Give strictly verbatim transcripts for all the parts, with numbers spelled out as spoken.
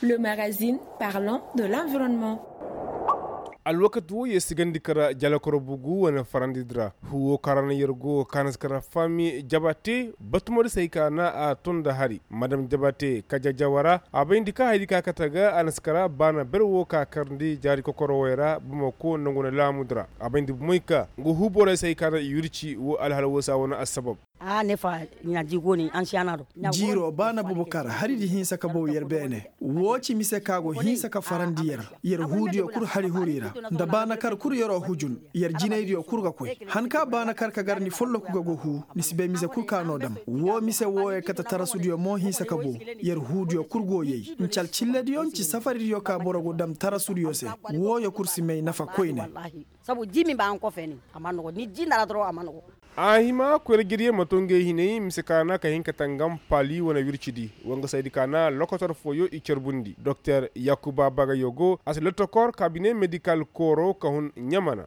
Le magazine parlant de l'environnement. Alwakati wo yer si gandi kara jalakoro bugu wane farandi di ra. Huwo kaŋ ra no yer go kaŋ na si kara fami jabate batumadi se hay ka na a ton nda hari madam jabate kajajawa ra a bayndi ka haydi ka kate ga a na si kara baana ber wo ka karndi jaari kokoro way ra bamako nangu na laamu di ra a bayndi bumey ka nga hu borey se hay ka na i wirci wo alhala wo se a wane assabab. Jiiro ba na bubu kar hari di hinsa ka bow yer beene. Woo ci mise ka go hinsa ka farandi yer. Yer huudiyo kul hari huru i ra nda baana kar kul yer'o hujun. Yer jinaydiyo kul ga koy han ka baana kar ka gar ni folloku ga go huu ni si bay mise kul ka no dam. Woo mise wooyo kate tarasudiyo mo hinsa ka bow. Yer huudiyo kul go yay nci alcillediyo nci safaridiyo ka boro go dam tarasudiyo se. Wooyo kul si may nafa koyne. Sabu ji min ba han ko feeni a man nogo ni ji nda ra doro a man nogo. A hima koyra jirye ma to ngey hinay mise ka na ka hin ka tangam paali wane wircidi. Wa nga saydi ka na lokotor fooyo i carbundi doktor yakuba bagayo go a si lotokor kabine medikal kooro ka hun ɲamana.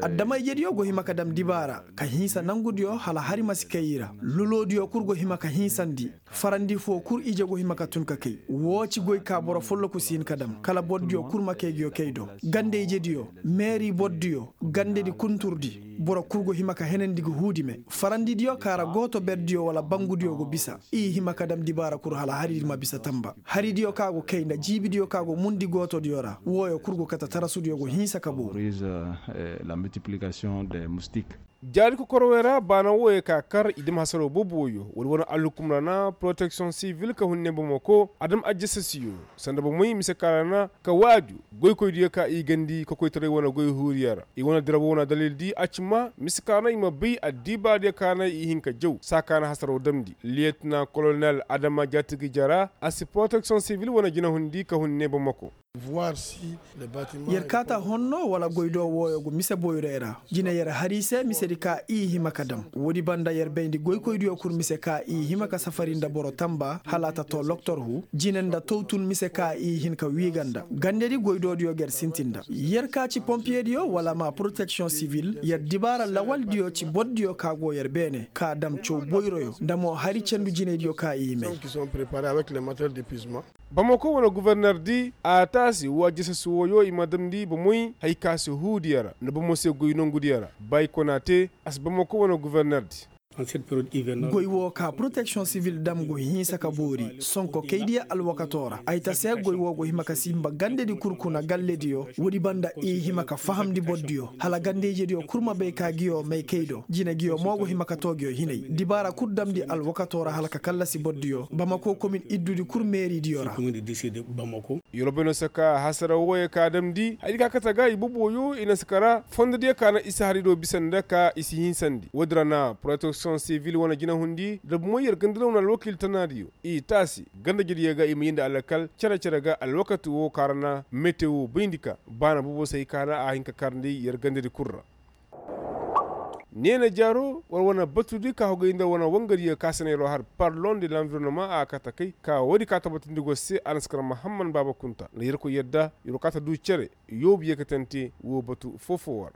Adama-ijediyo go hima ka dam dibaara ka hinsa nangudiyo hala hari ma si kay i ra. Lulodiyo kul go hima ka hinsandi. Farandi foo kul ije go hima ka tun ka kay. Woo ci goy ka boro folloku si hin ka dam kala bordiyo kul ma kay nguyo kay do. Gande-ijediyo, meeri bordiyo, gandedi kunturdi, boro kul go hima ka henandi ga huudi me. Farandidiyo ka ra gooto berdiyo wala bangudiyo go bisa. I hima ka dam dibaara kul hala haridi ma bisa tamba haridiyo ka go kay nda jiibidiyo ka go mundi gootodiyo ra wooyo kul go kate tarasudiyo go hinsa ka booru. Jaari kokorowey ra baana wooyey ka kar i dam hasaroo boobo wooyo wala wane alhukum ra na poroteksiyoŋ sivil ka hun ne bamako a dam ajjasasiyo. Sanda bomey mise ka ra na ka waaju goykoydiyo ka i gandi kokoytaray wane goy huuriyo ra i wane dira woo na dalildi a ci ma mise ka na i ma bay addibaadiyo ka na i hin ka jaw saa ka na hasaroo damndi liyetina kolonel adama jaatigi jara a si poroteksiyoŋ sivil wane jinahundi ka hun ne bamako. Yer kaata honno wala goydoo wooyo go mise boyroy ra jine yer har i se misedi ka i hima ka dam. Woodi banda yer bayndi goykoydiyo kul mise ka i hima ka safari nda boro tamba hala a ta too loktor hu jine nda towtun mise ka i hin ka wiiga nda gandedi goydoodiyo ga yer sintin nda. Yer ka ci pompiyediyo wala ma poroteksiyoŋ sivil yer dibaara lawaldiyo ci bordiyo ka go yer beene ka dam caw boyroyo nda mo hari cendu jinaydiyo ka i may. Bamako wane guverner di a taasi wa jisasi wooyo i ma damndi bomoy hay ka si huudiyo ra nda bomo se goy nongudiyo ra. Bay konaate a si bamako wane guverner di. Goy woo ka poroteksiyoŋ sivil dam go hinsa ka boori sonko kaydiyo alwakatoo ra ay ta se goy woo go hima ka sinba gandedi kul kuna gallediyo. Woodi banda i hima ka fahamndi bordiyo hala gande-ijediyo kul ma bay ka nguyo may kay do jine nguyo mo go hima ka too nguyo hinay dibaara kul damndi alwakatoo ra hala ka kallasi bordiyo bamako komin iddudi kul meeridiyo ra. Yoroboy no si ka hasara wooyo ka damndi hari ka kate ga i boboyo i na si kara fondodiyo ka na i si hari do bisa nda ka i si hinsandi woodi ra na poroteksiyoŋ sivil wane jinahundi da bomoy yer gandalaw na alwakiil tanaadiyo i taasi gandejediyo ga i ma yeendi alakal cere-cere ga alwakati woo ka ra na mete woo bayndi ka baana bobo se hay ka na a hin ka karndi yer gandedi kul ra. Neena jaaro war wane batudi ka hogay nda wane wangadiyo ka se na yeroo har parlon de lanvironoma a kate kay ka woodi ka tabatindi go se a na si kar mahamman baaba kunta nda yerkoy yadda yeroo ka ta du cere yoobu yeekatante woo batu foo-foo war.